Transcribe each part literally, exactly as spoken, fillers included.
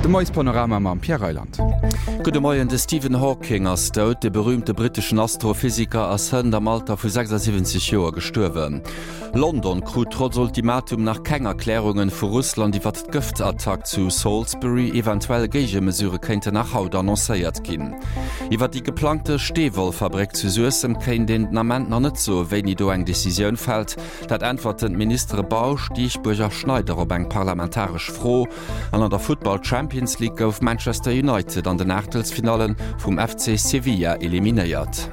De Moiespanorama mam Pierre Reyland. Gudde Moien, De Stephen Hawking ass dout. De berüümte britteschen Astrophysiker ass hënt am Alter vu sechsasiwwenzeg Joer gestuerwen. London krut trotz Ultimatum nach keng Erklärungen vu Russland iwwert d'Gëftattack zu Salisbury. Eventuell Géigemesure kéinten nach haut annoncéiert ginn. Iwwer déi geplangte Steewollfabréck zu Suessem kéint een den Ament nach net soen, wéini do eng Decisioun fält. Dat äntwerten d'Ministere Bausch, Dieschbourg a Schneider op eng parlamentaresch Fro. An an der Futtball Champions League gouf Manchester United an den Aachtelsfinalle vum F C Sevilla eliminéiert.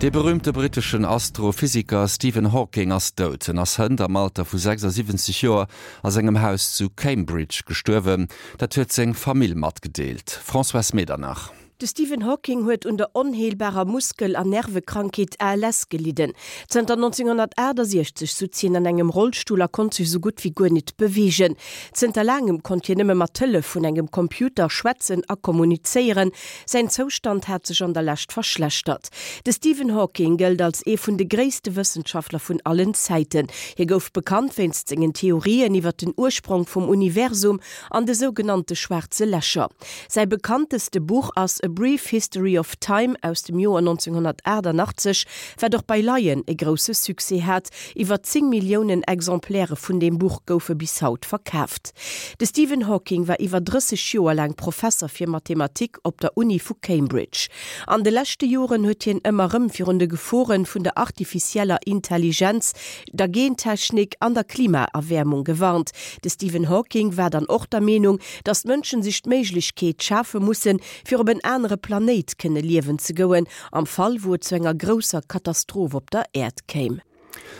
De berüümte britteschen Astrophysiker Stephen Hawking ass dout. En ass hënt am Alter vu sechsasiwwenzeg Joer a sengem Haus zu Cambridge gestuerwen. Dat huet seng Famill matgedeelt. Françoise Medernach. De Stephen Hawking huet un der onheelbarer Muskel an Nervekrankheet A L S gelidden. Zënter nonzénghonnertaachtasechzeg sutz hien an engem Rollstull a konnt sech sou gutt wéi guer nit beweegen. Zënter laangem konnt hien nëmme mat Hëllef vun engem Computer schwätzen a kommunizéieren. Säin Zoustand hat sech an der Lescht verschlechtert. De Stephen Hawking gëllt als ee vun de gréisste Wëssenschaftler vun allen Zäiten. Hie gouf bekannt wéinst sengen Theorien iwwer den Ursprong vum Universum an de sougenannte schwaarze Lächer. Säi bekannteste Buch ass A Brief History of Time aus dem Joer nonzénghonnertaachtanachtzeg, wat och bei Laien e grousse Succès hat. Iwwer zéng Milliounen Exemplaire vun deem Buch goufe bis haut verkaaft. De Stephen Hawking war iwwer drësseg Joer laang Professer fir Mathematik op der Uni vu Cambridge. An de leschte Joren huet hien ëmmer rëm virun de Gefore vun der artifizieller Intelligenz, der Gentechnik an der Klimaerwäermung gewarnt. De Stephen Hawking war dann och der Meenung, datt d'Mënschen sech d'Méiglechkeet schafe mussen, fir op en anere Planéit kënne liewen ze goen, am Fall wou et zu enger grousser Katastroph op der Äerd kéim.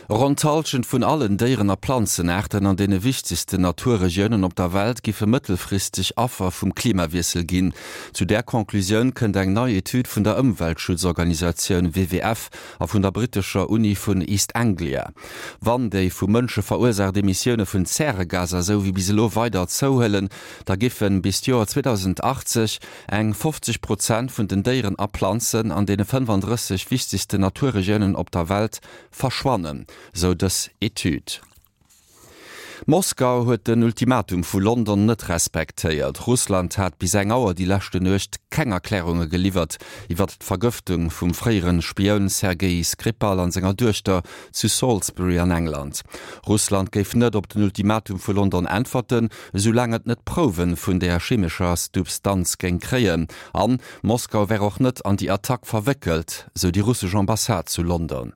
Ronn d'Hallschent vun allen Déieren a Planzenaarten an deene wichtegsten Naturregiounen op der Welt giffe mëttelfristeg Affer vum Klimawiessel ginn. Zu där Conclusioun kënnt eng nei Etüd vun der Ëmweltschutzorganisatioun W W F a vun der brittescher Uni vun East Anglia. Wann déi vu Mënsche verursaacht Emissioune vun Zäregaser esou wéi bis elo weider zouhuelen, da giffen bis d'Joer zweedausendachtzeg eng fofzeg Prozent vun den Déieren a Planzen an deene fënnefandrësseg wichtegsten Naturregiounen op der Welt verschwannen, sou dës Etüd. Moskau huet den Ultimatum vu London net respektéiert. Russland hat bis eng Auer déi leschte Nuecht keng Erklärunge geliwwert iwwer d'Vergëftung vum fréiere Spioun Sergei Skripal an senger Duechter zu Salisbury an England. Russland géif net op den Ultimatum vu London äntwerten, soulaang et net Prouwe vun der chemescher Substanz géing kréien. An Moskau wär och net an déi Attack verwéckelt, sou déi russesch Ambassade zu London.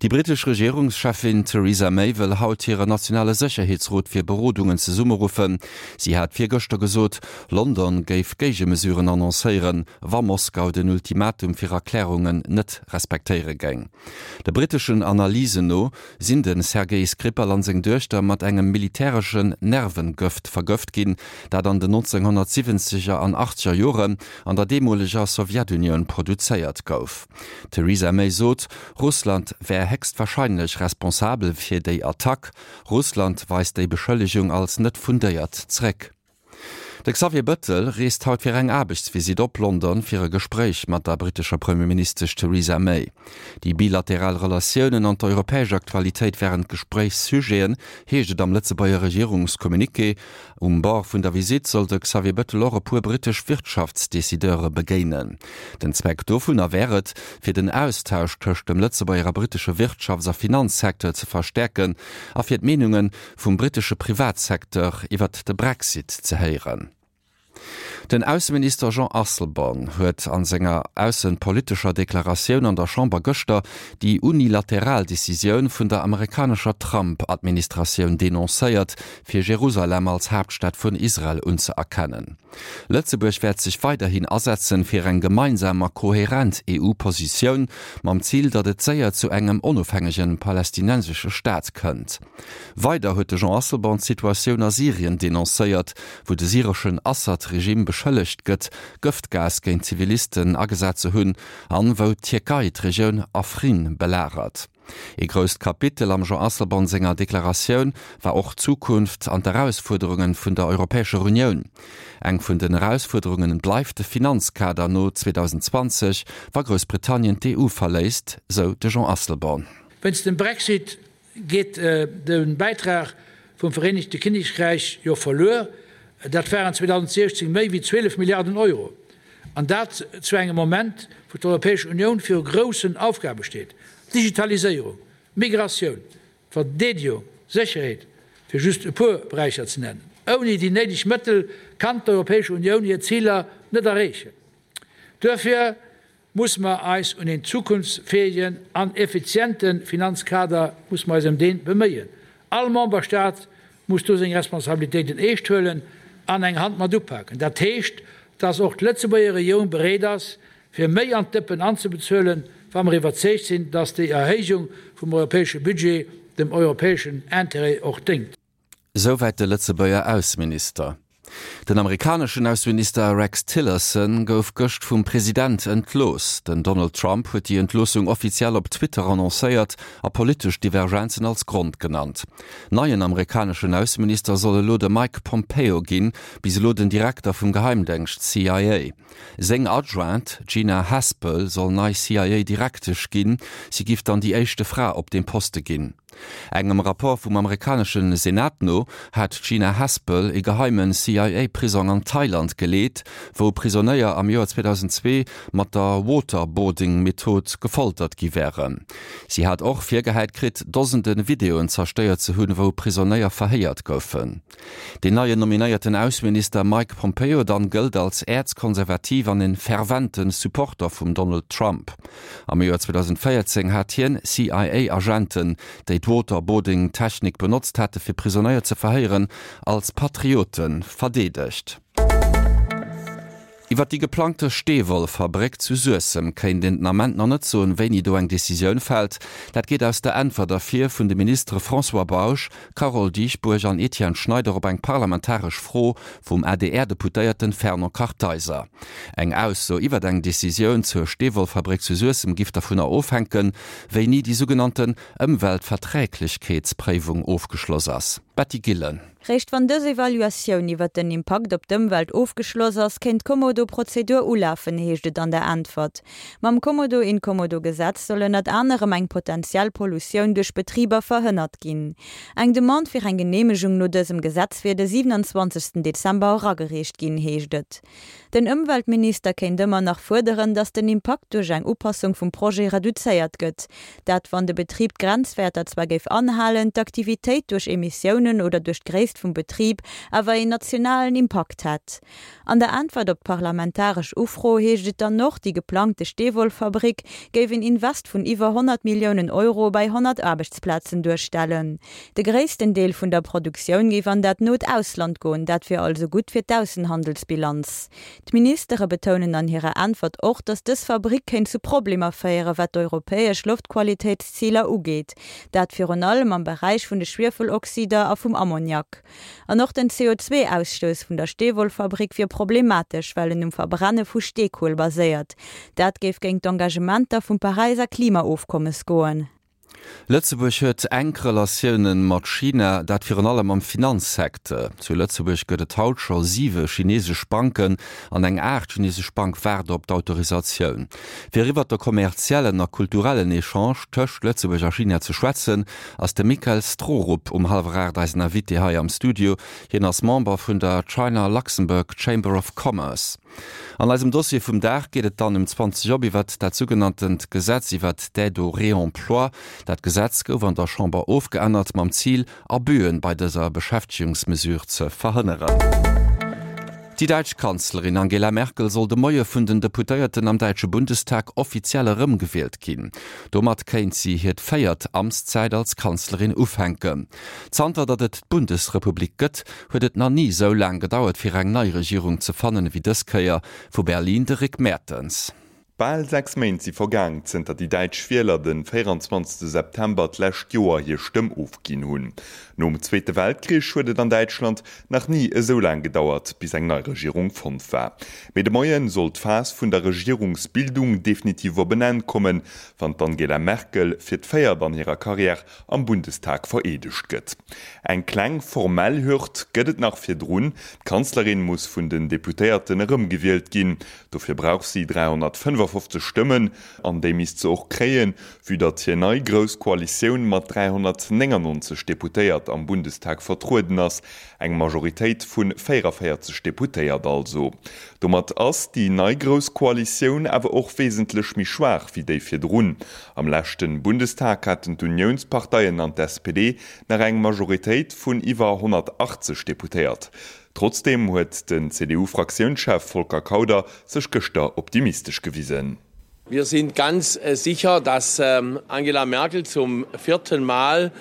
Déi brittesch Regierungscheffin Theresa May wëll haut hire nationale Sécherheetsrot fir Berodungen zesummeruffen. Si hat virgëschter gesot, London géif Géigemesuren annoncéieren, wa Moskau den Ultimatum fir Erklärungen net respektéiere géing. De britteschen Analysen no sinn de Sergei Skripal an seng Duechter mat engem militäreschen Nervengëft vergëft ginn, dat an den nonzénghonnertsiwwenzeger an achtzeger Joren an der deemoleger Sowjetunioun produzéiert gouf. D'Theresa May sot, Russland wär héchstwarscheinlech responsabel fir déi Attack. Russland weist déi Beschëllegung als net fundéiert zeréck. De Xavier Bettel reest haut fir eng Aarbechtsvisitt op London fir e Gespréich mat der brittescher Premierministesch Theresa May. Déi bilateral Relatiounen an d'europäesch Aktualitéit wären d'Gespréichssujeten, heescht et am Lëtzebuerger Regierungscommuniqué. Um Bord vun der Visitt soll de Xavier Bettel och e puer brittesch Wirtschaftsdecideure begéinen. Den Zweck dovunner wär et, fir den Austausch tëscht dem Lëtzebuerger a brittesche Wirtschafts a Finanzsecteur ze verstäerken a fir d'Meenunge vum brittesche Privatsecteur iwwert de Brexit ze héieren. Den Ausseminister Jean Asselborn huet an senger aussepolitescher Deklaratioun an der Chamber gëschter déi unilateral Decisioun vun der amerikanescher Trump-Administratioun denoncéiert, fir Jerusalem als Haaptstad vun Israel unzëerkennen. Lëtzebuerg wäert sech weiderhin asetzen fir eng gemeinsam a kohärent E U-Positioun mam Zil, datt et séier zu engem onofhängege palästinensesche Staat kënnt. Weider huet de Jean Asselborn d'Situatioun a Syrien denoncéiert, wou de syreschen Assad-Regime beschëllegt gëtt, Gëftgas géint Zivilisten agesat ze hunn an wou d'Tierkei d'Regioun Afrin belagert. E grousst Kapitel am Jean Asselborn senger Deklaratioun war och d'Zukunft an d'Erausfuerderunge vun der Europäescher Unioun. Eng vun den Erausfuerderunge bleift de Finanzkader no zweedausendzwanzeg, wa Groussbritannien d'E U verléisst, sou de Jean Asselborn. Wéinst dem Brexit geet de Bäitrag vum Vereenegte Kinnekräich jo verluer. Dat waren zweedausentsiechzéng méi wéi zwielef Milliarden Euro. An dat zu engem Moment, wou d'Europäesch Unioun viru groussen Aufgabe steet, Digitaliséierung, Migratioun, Verdeedegung, Sécherheet, fir just e puer Beräicher ze nennen. Ouni déi néideg Mëttel kann d'Europäesch Unioun hir Ziler net erreechen. Duerfir musse mer eis un een zukunftsfäegen an effiziente Finanzkader musse mer eis ëm dee beméien. All Memberstaat muss do seng Responsabilitéiten eescht huelen an eng Hand mat upaken. Dat heescht, dass och d'Lëtzebuerger Regierung bereet ass, fir méi an d'Dëppen anzebezuelen, wa mer iwwerzeegt sinn, dass déi Erhéijung vum europäesche Budget dem europäeschen Intérêt och déngt. Souwäit de Lëtzebuerger Ausseminister. Den amerikaneschen Ausseminister Rex Tillerson gouf gëscht vum President entlooss. Den Donald Trump huet déi Entloossung offiziell op Twitter annoncéiert a politesch Divergenzen als Grond genannt. Neien amerikaneschen Ausseminister soll elo de Mike Pompeo ginn, bis elo den Direkter vum Geheimdéngscht C I A. Seng Adjointe Gina Haspel soll nei C I A-Direktesch ginn, si giff dann déi éischte Fra op deem Poste ginn. Engem Rapport vum amerikanesche Senat no hat d'Gina Haspel e geheimen C I A-Prisong an Thailand geleet, wou Prisonéier am Joer zweedausendzwee mat der Waterboarding-Method gefoltert gi wären. Si hat och virgehäit kritt, Dosende Videoen zerstéiert ze hunn, wou Prisonéier verhéiert goufen. Den neien nominéierten Ausseminister Mike Pompeo dann gëllt als äerzkonservativ an en fervente Supporter vum Donald Trump. Am Joer zweedausendvéierzéng hat hien C I A-Agenten, déi d'Waterboarding-Technik benotzt hate fir Prisonéier ze verhéieren, als Patriote verdeedegt. Iwwer déi geplangte Steewollfabréck zu Suessem kéint een den Ament nach net soen, wéini do eng Decisioun fält. Dat geet aus der Äntwert ervir vun de Ministere François Bausch, Carole Dieschbourg an Etienne Schneider op eng parlamentaresch Fro vum A D R-Deputéierten Fernand Kartheiser. Eng Ausso iwwer eng Decisioun zur Steewollfabréck zu Suessem giff dovunner ofhänken, wéini déi sougenannten Ëmweltverträglechkeetspréiwung ofgeschloss ass. Betty Gillen. Réischt wann dës Evaluatioun iwwer den Impakt op d'Ëmwelt ofgeschloss ass, kéint d'Kommodo-Prozedur ulafen, heescht et an der Äntwert. Mam Kommodo-Inkommodo-Gesetz soll ënnert anerem eng potenziell Pollutioun duerch Betriber verhënnert ginn. Eng Demande fir eng Geneemegung no dësem Gesetz wier de siewenundzwanzegsten Dezember eragereecht ginn, heescht et. Den Ëmweltminister kéint ëmmer nach fuerderen, datt den Impakt duerch eng Upassung vum Projet reduzéiert gëtt. Dat wann de Betrib d'Grenzwäerter zwar géif anhalen, d'Aktivitéit duerch Emissiounen oder duerch d'Gréisst vum Betrib awer een nationalen Impakt hätt. An der Äntwert op d'parlamentaresch Ufro heescht et dann och, déi geplangte Steewollfabrik géif een Invest vun iwwer honnert Milliounen Euro bei honnert Aarbechtsplazen duerstellen. De gréissten Deel vun der Produktioun géif an dat not Ausland goen, dat wier also gutt fir d'Aussenhandelsbilanz. D'Ministere betounen an hirer Äntwert och, datt dës Fabrik kéint zu Problemer féieren, wat d'europäesch Loftqualitéitsziler ugeet, dat virun allem am Beräich vun de Schwiefeloxider a vum Ammoniak. An och den C O zwee Ausstouss vun der Steewollfabrik wier problematesch, well en um Verbrenne vu Steekuel baséiert. Dat géif géint d'Engagementer vum Paräisser Klimaofkommes goen. Lëtzebuerg huet enk Relatioune mat China, dat virun allem am Finanzsecteur. Zu Lëtzebuerg gëtt et haut scho siwe chineesesch Banken an eng aacht chineesesch Bank waart op d'Autorisatioun. Fir iwwer de kommerziellen a kulturellen Echange tëscht Lëtzebuerg a China ze schwätzen, ass de Michael Strohrup um hallwer aacht eisen Invité hei am Studio. Hien ass Member vun der China Luxembourg Chamber of Commerce. An eisem Dossier vum Dag geet et dann um zwanzeg op iwwer dat sougenanntent Gesetz iwwer d'Aide au réemploi. Dat Gesetz gouf an der Chamber ofgeännert mam Zil, Abüen bei dëser Beschäftegungsmesure ze verhënneren. Déi däitsch Kanzlerin Angela Merkel soll de Moie vun den Deputéierten am däitsche Bundestag offiziell erëmgewielt ginn. Domat kéint si hir véiert Amtszäit als Kanzlerin ufänken. Zanter datt et d'Bundesrepublik gëtt, huet et nach ni sou laang gedauert fir eng nei Regierung ze fannen ewéi dës Kéier. Vu Berlin de Rick Mertens. Bal sechs Méint si vergaang, zënter déi däitsch Wieler den véierundzwanzegste September d'lescht Joer hir Stëmm ofginn hunn. Nom Zweete Weltkrich huet et an Däitschland nach ni esou laang gedauert, bis eng nei Regierung fonnt war. Mee de Moien soll d'Phas vun der Regierungsbildung definitiv op en Enn kommen, wann d'Angela Merkel fir d'véiert an hirer Karriär am Bundestag vereedegt gëtt. Eng kleng formell Hürd gëtt et nach virdrun, D'Kanzlerin muss vun den Deputéierten erëmgewielt ginn. Dofir brauch si dräihonnertfënnefafofzeg dräihonnertfënnefafofzeg Stëmmen, an déi misst se och kréien, vue datt hir nei grouss Koalitioun mat dräihonnertnéngannonzeg Deputéiert am Bundestag vertrueden ass, eng Majoritéit vu véieraféierzeg Deputéiert also. Domat ass déi nei grouss Koalitioun awer och wesentlech méi schwaach wéi déi virdrun. Am leschte Bundestag haten d'Uniounsparteien an d'S P D nach eng Majoritéit vun iwwer honnertachtzeg Deputéiert. Trotzdeem huet den C D U-Fraktiounschef Volker Kauder sech gëschter optimistesch gewisen. Wir sind ganz sicher, dass Angela Merkel zum vierten Mal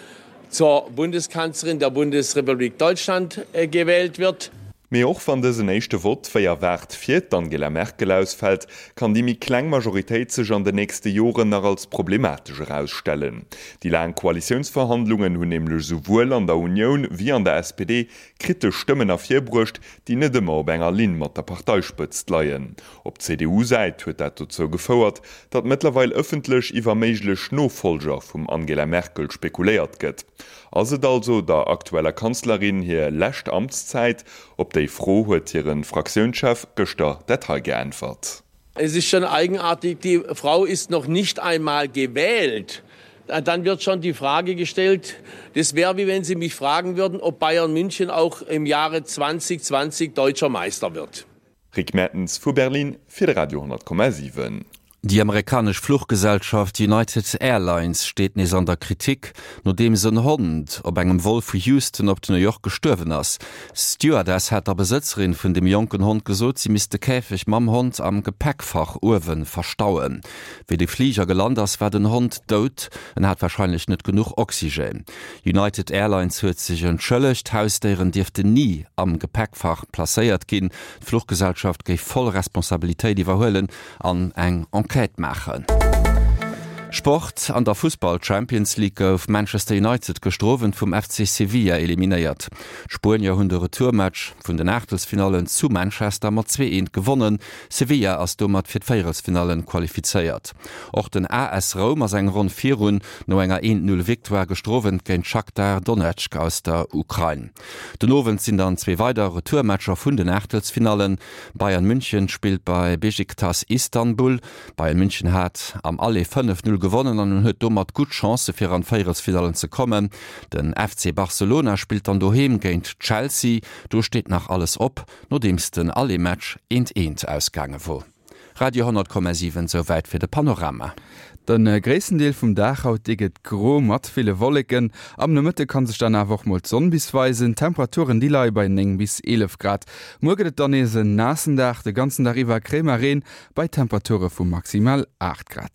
zur Bundeskanzlerin der Bundesrepublik Deutschland gewählt wird. Mee och wann dësen éischte Vott wéi erwaart fir d'Angela Merkel ausfält, kann déi méi kleng Majoritéit sech an den nächste Joren nach als problematesch erausstellen. Déi laang Koalitiounsverhandlungen hunn nämlech souwuel an der Unioun wéi an der S P D kritesch Stëmmen ervirbruecht, déi net ëmmer op enger Linn mat der Parteispëtzt leien. Op C D U-Säit huet dat dozou gefouert, datt mëttlerweil ëffentlech iwwer méiglech Nofollger vum Angela Merkel spekuléiert gëtt. Ass et also der aktueller Kanzlerin hir lescht Amtszäit? Op déi Fro huet hire Fraktiounschef gëschter dat hei geäntwert. Es ist schon eigenartig, die Frau ist noch nicht einmal gewählt. Dann wird schon die Frage gestellt, das wäre wie wenn Sie mich fragen würden, ob Bayern München auch im Jahre zweitausendzwanzig deutscher Meister wird. Rick Mertens vu Berlin fir de Radio honnert Komma siwen. Déi amerikanesch Fluchgesellschaft United Airlines steet nees an der Kritik, nodeems en Hond op engem Vol vu Houston op New York gestuerwen ass. D'Stewardess hat der Besëtzerin vun dem jonken Hond gesot, si misst de Käfeg mam Hond am Gepäckfach uewe verstauen. Wéi de Fliger gelant ass, war den Hond dout, en hat warscheinlech net genuch Oxygen. United Airlines huet sech entschëllegt, Hausdéieren dierften ni am Gepäckfach placéiert ginn. D'Fluchgesellschaft géif voll Responsabilitéit iwwerhuelen an eng Enquête maachen. Sport An der Fussball Champions League gouf Manchester United gëschter Owend vum F C Sevilla eliminéiert. D'Spuenier hunn de Retourmatch vun den Aachtelsfinallen zu Manchester mat zwee eent gewonnen. Sevilla ass domat fir d'Véierelsfinallen qualifizéiert. Och den A S Roum ass eng Ronn virun no enger eent null Victoire gëschter Owend géint Shakhtar Donetsk aus der Ukrain. Den Owend sinn dann zwee weider Retourmatcher vun den Aachtelsfinallen. Bayern München spillt bei Besiktas Istanbul. Bayern München hat am Aller fënnef null gewonnen an huet domat gutt Chancë fir an d'Véierelsfinallen ze kommen. Den F C Barcelona spillt dann doheem géint Chelsea. Do steet nach alles op, nodeems den Aller-Match eent eent ausgaange wor. Radio honnert Komma siwen, souwäit fir de Panorama. De gréissten Deel vum Dag haut dee gëtt gro mat ville Wolleken. Am Nomëtte kann sech dann awer och mol d'Sonn bis weisen. D'Temperaturen déi leie bei néng bis eelef Grad. Muer gëtt et dann nees en naassen Dag, de ganzen Dag iwwer kréie mer Reen bei Temperature vu maximal aacht Grad.